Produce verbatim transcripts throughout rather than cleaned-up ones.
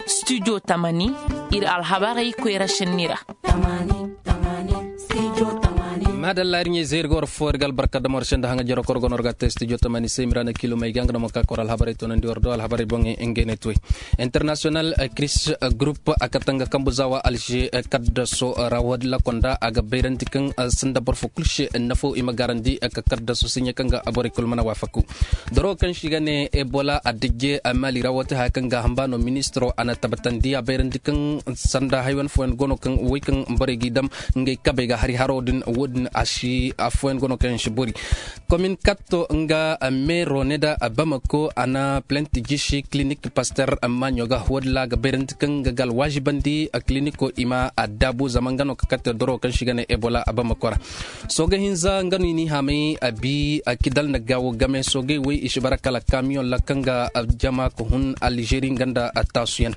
Studio Tamani, iri alhabarey koyra senni ra. Madalla, iri ɲey zay iri ga war fo iri ga albarka dama war se nda hanga jaro koro gono war ga te studio tamani se iri ma ra na kilo may ga nga damo ka kor alhabarey toonandi war do alhabarey boŋey ngey ne tuwey. International kris group a kate nga kambu zawa alger kaddaso ra wadi lakonda a ga bayrandi kaŋ sinda boro fo kulu se nafo i ma garandi ka kaddaso siɲe kaŋ ga borey kulu mana waafaku. Doro kaŋ se i ga ne ebola a dijje mali ra wati haya kaŋ ga hamba no ministro a na tabbatandi a bayrandi kaŋ sanda haywan fooyaŋ go no kaŋ way kaŋ borey g'i dam ngey kabey ga hari haro din wo- din a si afooyaŋ go no kaŋ yaŋ si bori. Komin katto nga meero ne da bamako a na plenti jisi clinic paster maaɲo ga wo- din ra a ga bayrandi kaŋ nga ga alwaazibandi a clinico i ma a daabu zama nga no ka katte doro kaŋ se i ga ne ebola a bamako ra. Sooga hinza nga no i n'i haamay a bi a kidal na gaawo game soogay way i si bara kala kamiyoŋ ra kaŋ ga jama ka hun alzeeri nga nda taasuyaŋ.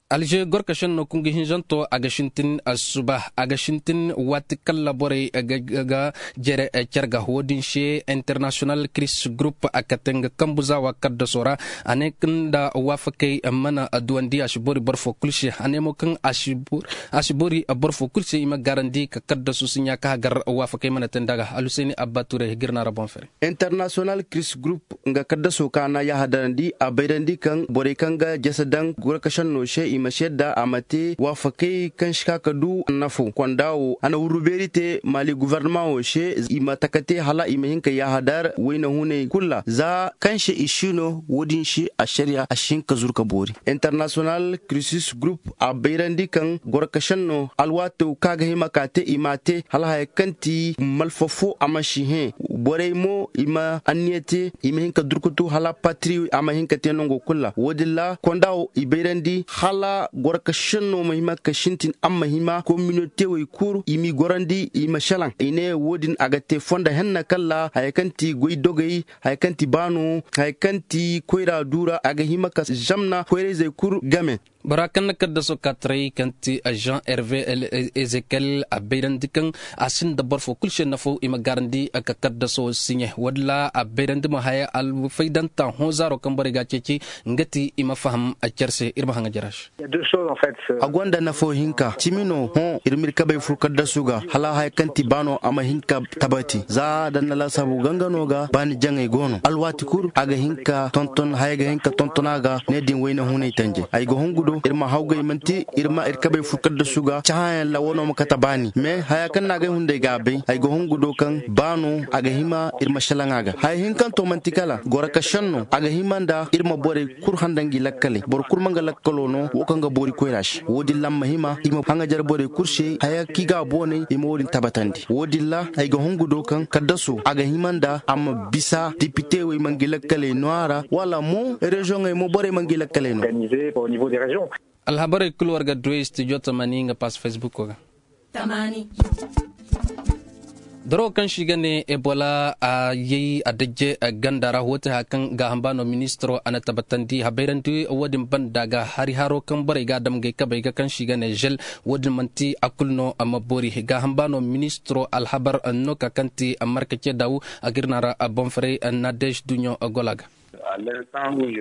Alzeeri gorkaseŋ no kungu hinzanto a ga sintin suba a ga sintin waati kaŋ ra borey ga jere care ga wo- din se international kris group a kate nga kambu zaawa kaddaso ra. A ne nda waafakey mana duwandi a si bori boro fo kulu se a ne mo kaŋ a si bori boro fo kulu se i ma garandi ka kaddasu si ɲa ka hagar waafakey mana te nda ga alhuseeni abba turay ga iri naara boŋ fere. International kris group nga kaddaso kaŋ a na yaahadarandi a bayrandi kaŋ borey kaŋ ga jese daŋ gorkaseŋ no se i ma si yadda a ma te waafakey kaŋ si ka ka du nafo konda wo a na wurru beeri te maali guvarnama wo se i ma taka te hala i ma hin ka yaahadar wayna hunay kulu ra za kaŋ se i si no wo- din se ašariya a si hin ka zuru ka boori. International krisis group a bayrandi kaŋ gorkaseŋ no alwaato kaŋ a ga hima ka te i m'a te hala haya kaŋ ti malfa fo a ma si hẽ borey mo i ma anniya te i ma hin ka durkutu hala patiri a ma hin ka te nango kulu ra wo- din ra konda wo i bayrandi hala gorkaseŋ no ma hima ka sintin a ma hima kominote wey kulu i m'i gorandi i ma salaŋ i ne wo- din a ga te fondo henna kaŋ ra haya kaŋ ti goy dogey haya kaŋ ti baano haya kaŋ ti koyra duura a ga hima ka zamna koyrayzey kulu game. Bora kaŋ na kaddaso ka taray kaŋ ti jean hervé ezekiel a bayrandi kaŋ a sinda boro fo kulu se nafo i ma garandi ka kaddaso siɲe wo- din ra a bayrandi mo haya alfaydanta hõ zaaro kaŋ borey ga a ceeci nga ti i ma faham care se iri ma haŋa jara se. A gonda nafo hinka cimi no hõ iri ma iri kabey fur kaddasu ga hala haya kaŋ ti baano a ma hin ka tabati za da ni na laasaabu gangano ga baani jaŋey go no alwaati kulu a ga hin ka tonton haya ga hin ka tonton a ga ne din wayna hunay tanje ay ga hungu do iri ma hawgay manti iri ma iri kabey fur kaddasu ga cahãyaŋ ra wano ma kate baani mais haya kaŋ no a ga ay hunday ga a bay ay ga hungu do kaŋ baano a ga hima iri ma salaŋ a ga haya hinkanto manti kala goro ka senno a ga hima nda iri ma borey kulu handa ngi lakkaley boro kulu ma nga lakkalo no wo kaŋ ga boori koyra se wo- din ra a ma hima i ma haŋajar borey kulu se haya kaŋ i ga a boonay i ma wo- din tabbatandi wo- din ra ay ga hungu do kaŋ kaddaso a ga hima nda a ma bisa depite wo i ma ngi lakkaley no a ra wala mo reziyoŋey mo borey ma ngi lakkaley no. Alhabarey kulu war ga du studio tamani nga pass facebook ga. Doro kaŋ se i ga ne ebola a yay a dajje ganda ra woote haya kaŋ gaaham ba no ministiro a na tabbatandi habayrandi wo- din banda ga hari haro kaŋ borey ga a dam ngey kabey ga kaŋ se i ga ne zel. Wo- din manti a kulu no a ma boori gaaham ba no ministiro alhabar no ka kaŋ ti marka ce dawu a ga iri no a ra boŋ faray nadej duɲɲo gola ga.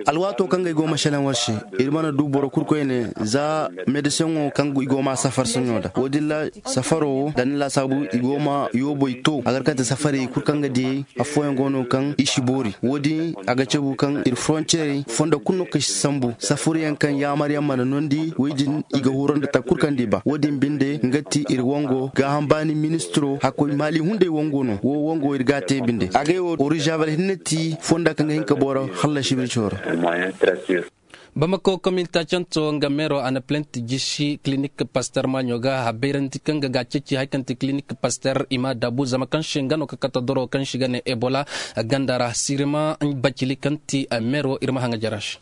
Alwaato kaŋ ga ay go ma selaŋ war se iri mana du boro kulu koyne za medesiyaŋo kaŋ i go ma safar soɲo nda wo- din ra safaro wo da ni laasaabu i go ma yooboy to a ga kate safarey kulu kaŋ ga diyey afooyaŋ go no kaŋ i si boori wo- din a ga cabu kaŋ iri foronciyerey fondo kulu no kaŋ si sambu safuryaŋ kaŋ yaamar yaŋ mana nondi wo- din i ga huro nda takku kulu kaŋ da i ba wo- din binde nga ti iri wango gaaham baani ministiro hakkoy maali hunday wango no wo wango iri ga a te binde agay wo orizaabal hinne ti fonda kaŋ ga hin ka boro hallasi birco ra. Bamako kominta canto nga meero a na plenti jisi kilinik paster maaɲo ga habayrandi kaŋ ga ga ceeci hari kaŋ ti kilinik paster i ma a daabu zama kaŋ se nga no ka kate doro kaŋ se i ga ne ebola ganda ra sirima bacili kaŋ ti meero iri ma haŋa jara se.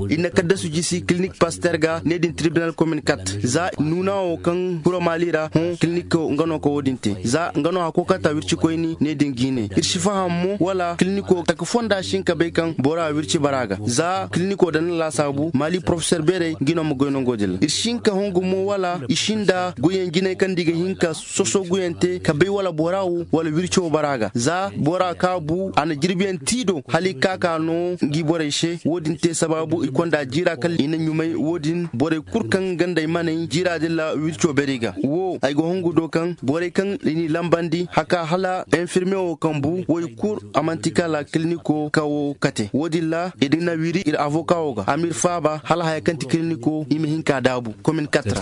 Iri na kaddasu jisi kilinik paster ga ne din tribinal komin kat za nuuna wo kaŋ kuro maali ra hõ kiliniko nga no ka wo- din te za nga no hako kata wirci koyni ne din ga i ne iri si faham mo wala kiliniko taka fonda si hin ka bay kaŋ bora wirci bara ga za Ko da na laasaabu maali porofesor beerey ga i no ma goy nango din ra iri si hin ka hongu mo wala i si nda goyyaŋ jinay kaŋ da i ga hin ka soso goyyaŋ te ka bay wala bora wo wala wirco bara ga za bora ka bu a na jirbiyaŋ ti do hala i ka ka no ngi borey se wo- din te sabaabu i konda jiira kaŋ i na ɲumay wo- din borey kulu kaŋ gandey maney jiira din ra wirco beerey ga wo ay ga hongu do kaŋ borey kaŋ i n'i lambandi haka hala infirme wo kaŋ bu wo i kulu a manti kala kiliniko kawo kate wo- din ra i din na wiri iri avoka wo ga a ma iri faaba hala haya kaŋ ti kiliniko i ma hin ka daabu komin katra.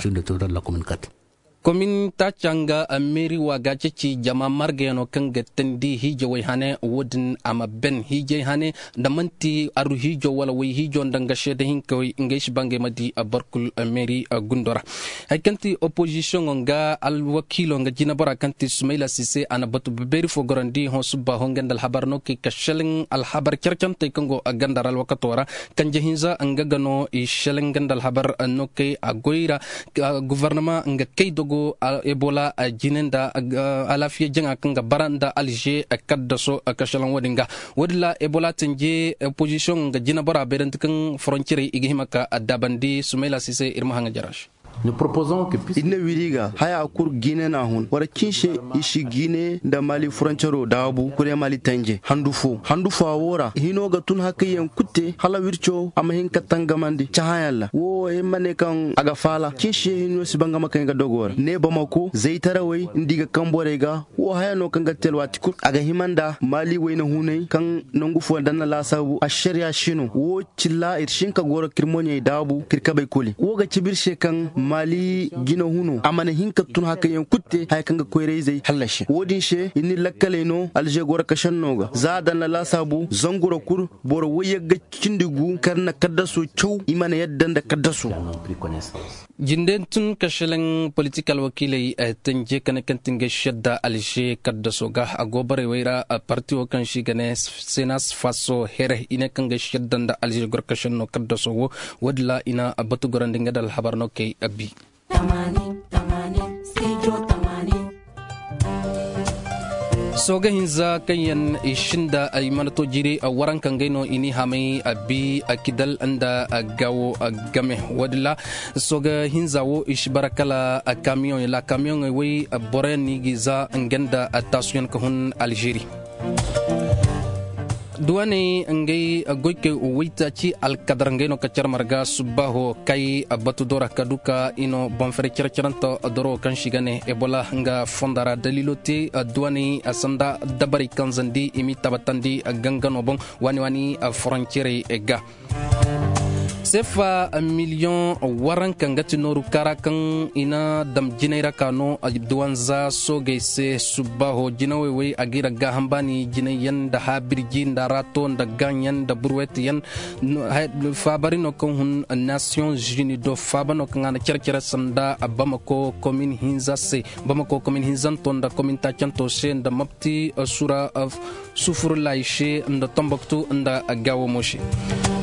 Komin taaca nga meeri wa ga ceeci jama margayano kaŋ ga tandi hiijawey hane wo- din a ma ben hiijay hane nda manti aru hiijo wala way hiijo nda nga seeda hinkawey ngey si ba ngey ma di barkul meeri gundo ra. Hari kaŋ ti opozisiyoŋo nga alwakiilo nga jinabora kaŋ ti sumayla sise a na batu beeri fo gorandi hõ subba hõ nga nda alhabar no kay ka selaŋ alhabar care-carantey kaŋ go ganda ra alwakato ra. Kanje hinza nga ga no i selaŋ nga nda alhabar no kay a goy ra. Gofornama nga kay dogo ebola jine nda alaafiya jaŋa kaŋ ga bara nda alze kaddaso ka selaŋ wo- din ga. Wo- din ra ebola tanje opozisiyoŋo nga jinabora beerandi kaŋ foroncirey i ga hima ka addaabandi sumayla sise iri ma haŋa jara se. Iri na wiri ga haya kulu jiine no a hun wara cinse i si jiine nda maali furancaro daabu kure maali tanje handu fo handu fo a wo ra hino ga tun hakayyaŋ kulu te hala wirco a ma hin ka tangamandi cahãyaŋ ra wo wo iri ma ne kaŋ a ga faala cinse hino si bangama kaŋ i ga dogo ra ne bamako zaytarawey nda i ga kaŋ borey ga wo haya no kaŋ ga te alwaati kulu a ga hima nda maali wayna hunay kaŋ nangu fooyaŋ da ni na laasaabu ašariya si no wo cilla iri si hin ka goro ka iri moɲey daabu ka iri kabey koli wo ga cabe iri se kaŋ maali jina huno a mana hin ka tun hakayyaŋ kulu te haya kaŋ ga koyra-izey hallasi wo- din se iri na iri lakkaley no alze goro kasanno ga za a daŋ na laasaabu zangu ra kulu boro wayyagga cindi gu kaŋ na kaddaso caw i mana yadda nda kaddaso. Jinde tun ka selaŋ politik alwakiiley tanje kane kaŋ ti nga sedda alze kaddaso ga a go borey way ra. Parti wo kaŋ si ga ne senas faso here i ne kaŋ ga sedda nda alze gorkasen no kaddaso wo wo- din ra i na batu gorandi nga da alhabar no kay abi. Sooga hinza kaŋ yaŋ i sinda ay mana to jiri waranka ngey no i n'i hamay abi kidal nda gawo game wo- din ra. Sooga hinza wo i si bara kala kamiyoŋey la kamiyoŋey way boro yaŋ no i g'i za nga nda taasuyaŋ ka hun alzeeri. Duwaney ngey goykey waytaaci alkadar ngey no ka care marga subbaaho kay batu do ra ka du ka i no boŋ fere care carante doro kaŋ si ga ne ebola nga fonda ra daliilo te duwaney sanda dabarey kaŋ zandi i m'i tabatandi gangano boŋ waani waani foroncirey ga. Sefa miliyoŋ waranka nga ti nooru kaara kaŋ i na dam jinay ra ka no duwanza soogey se subbaaho jinawey way a g'i ra gaaham baani jinay yaŋ nda haabirji nda raato nda gaaŋ yaŋ nda burwet yaŋ. Faabari no kaŋ hun nasiyoŋ zuni do faaba no kaŋ a na care care sanda bamako komin hinza se bamako komin hinzanto nda komin taacanto se nda mapti sura sufurlayi se nda tomboktu nda gaawo mo se.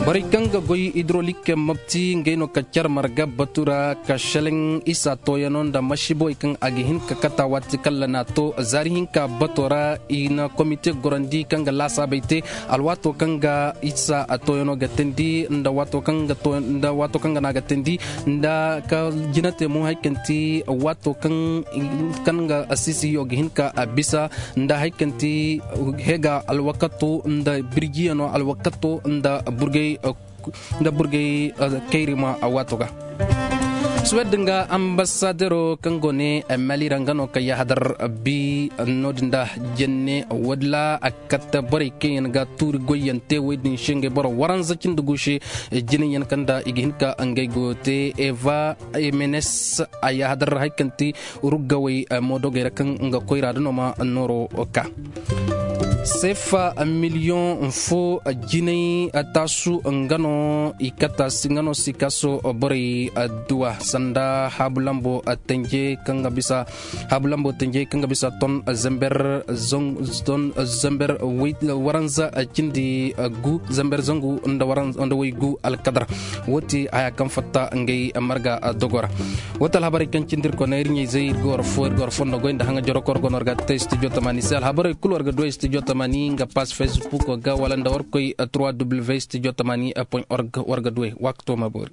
Borey kaŋ ga goy hidrolik mapti ngey no ka care marga batu ra ka seleŋ isa tooyano nda masiibowey kaŋ a ga hin ka kata waati kaŋ la n'a to zaari hinka bato ra i na komite gorandi kaŋ ga laasaabey te alwaato kaŋ ga isa tooyano ga teendi nda waato kaŋ ga n'a ga teendi nda ka jina te mo hari kaŋ ti waato kaŋ ga siisiyo ga hin ka bisa nda hari kaŋ ti heega alwakato nda birjiyano alwakato nda burgay nda burgay kayrima waato ga. Suwed nga ambasadero kaŋ go ne mali ra nga no ka yahadar bi no- din da jenne walla a katta borey kaŋ yaŋ ga tuuri goyyaŋ te wey din se ngey boro waranza cindi gu se. Jinayaŋ kaŋ da i ga hin ka ngey goyo te eva emenes a yahadar hari kaŋ ti ruggawey moodogey ra kaŋ nga koyra da no ma nooro ka sefa miliyoŋ fo jinay taasu nga no i kata nga no sikaso borey duwa sanda haabu lambo tanje kaŋ ga bisa haabu lambo tanje kaŋ ga bisa ton zember ton zember waranza cindi gu zember zangu nda way gu alkadar. Wo ti haya kaŋ fatta ngey marga dogo ra. Wo ti alhabarey kaŋ cindi iri kone iri ɲayzey iri ga war fo iri ga war fondo goy nda haŋa joro koro gono war ga te studio tamani se alhabarey kulu war ga du studio Mani nga pass facebook ga wala nda war koy trois w studio tamani point org war ga duway wakto ma boori.